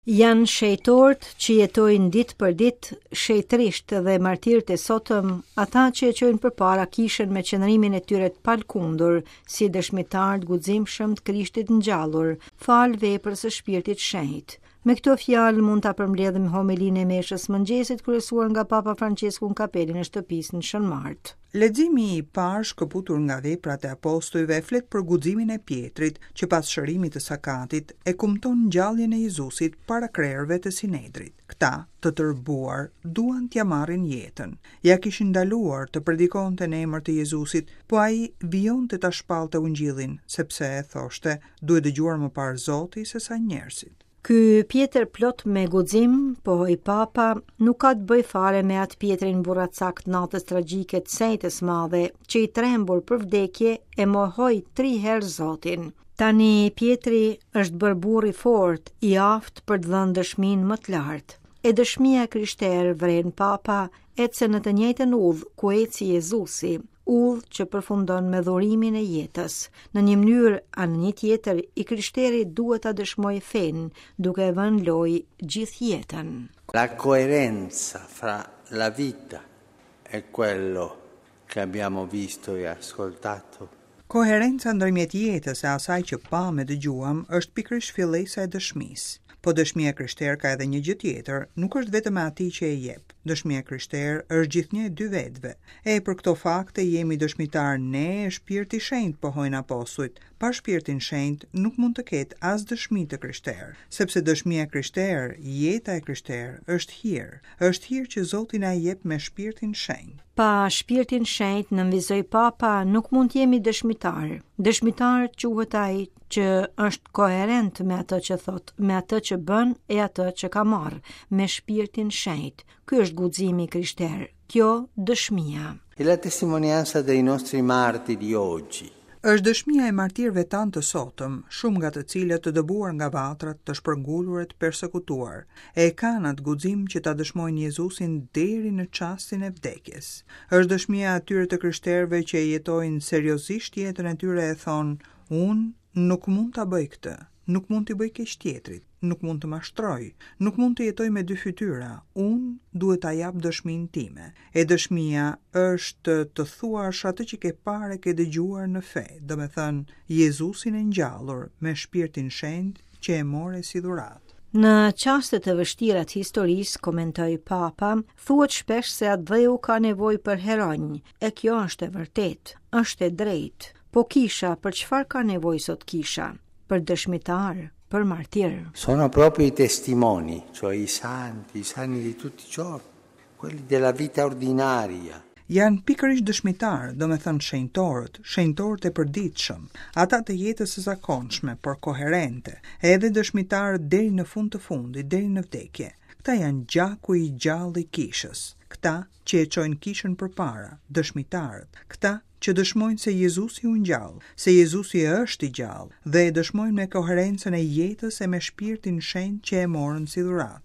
Janë shenjtorët që jetojnë ditë për ditë shenjtërisht dhe martirët e sotëm, ata që e çojnë përpara kishën me qëndrimin e tyre të palëkundur, si dëshmitarë të guximshëm të Krishtit ngjallur, falë veprës së Shpirtit Shenjt. Me këto fjalë mund ta përmbledhim homelinë e meshës së mëngjesit kryesuar nga Papa Françesku në kapelën e shtëpisë në Shën Martë. Leximi i parë shkëputur nga Veprat e Apostujve flet për guximin e Pjetrit, që pas shërimit të sakatit, e kumton ngjalljen e Jezusit para krerëve të Sinedrit. Këta, të tërbuar, duan t'ia marrin jetën. Ia kishin ndaluar të predikonte në emër të Jezusit, po ai vijonte ta shpallte Ungjillin, sepse, thoshte, duhet dëgjuar më parë Zoti sesa njerëzit. Ky Pjetër plot me guxim, pohoi Papa, nuk ka të bëjë fare me atë Pjetrin burracak të natës tragjike të së enjtes së madhe, që i trembur për vdekje e mohoi tri herë Zotin. Tani Pjetri është bërë burrë i fortë, i aftë për të dhënë dëshminë më të lartë. E dëshmia e krishterë, vren Papa, ecën në të njëjtën udhë ku eci Jezusi. udhë që përfundon me dhurimin e jetës. Në një mënyrë a në një tjetër, i krishteri duhet ta dëshmojë fenë, duke e vënë në lojë gjithë jetën. La coerenza fra la vita e quello che abbiamo visto e ascoltato. Koherenca ndërmjet jetës e asaj që pamë e dëgjuam është pikërisht fillesa e dëshmisë. Po dëshmia e krishterë ka edhe një gjë tjetër, nuk është vetëm e atij që e jep. Dëshmia e krishterë është gjithnjë e dy vetëve. E për këto fakte jemi dëshmitarë ne e Shpirti Shenjt, pohojnë apostujt. Pa Shpirtin Shenjt nuk mund të ketë as dëshmi të krishterë, sepse dëshmia e krishterë, jeta e krishterë, është hir. Është hir që Zoti na e jep me Shpirtin Shenjt. Pa Shpirtin Shenjt, nënvizoi Papa, nuk mund të jemi dëshmitarë. Dëshmitar quhet ai që është koherent me atë që thotë, me atë që bën e atë që ka marrë, me Shpirtin Shenjt. Ky është guximi i krishterë, kjo dëshmia. È la testimonianza dei nostri martiri oggi. Është dëshmia e martirëve tanë të sotëm, shumë nga të cilët të dëbuar nga vatrat, të shpërngulur e të persekutuar, e kanë atë guxim që ta dëshmojnë Jezusin deri në çastin e vdekjes. Është dëshmia e atyre të krishterëve që e jetojnë seriozisht jetën e tyre e thonë, Unë nuk mund ta bëj këtë, nuk mund t'i bëj keq tjetrit, nuk mund të mashtroj, nuk mund të jetoj me dy fytyra, unë duhet ta jap dëshminë time. E dëshmia është të thuash atë që ke parë e ke dëgjuar në fe, domethënë Jezusin e ngjallur me Shpirtin Shenjt që e more si dhuratë. Në çaste të vështira të historisë, komentoi Papa, thuhet shpesh se atdheu ka nevojë për heronj, e kjo është e vërtetë, është e drejtë. Po kisha, për çfarë ka nevojë sot kisha? Për dëshmitarë, për martirë. Sono proprio i testimoni, cioè i santi, i santi di tutti i giorni, quelli della vita ordinaria. Janë pikërisht dëshmitarët, domethënë shenjtorët, shenjtorët e përditshëm, ata të jetës së zakonshme, por koherente, edhe dëshmitarët deri në fund të fundit, deri në vdekje. Këta janë gjaku i gjallë i kishës, këta që e çojnë kishën përpara, dëshmitarët, këta që dëshmojnë se Jezusi u ngjall, se Jezusi është i gjallë, dhe e dëshmojnë me koherencën e jetës e me Shpirtin Shenjt që e morën si dhuratë.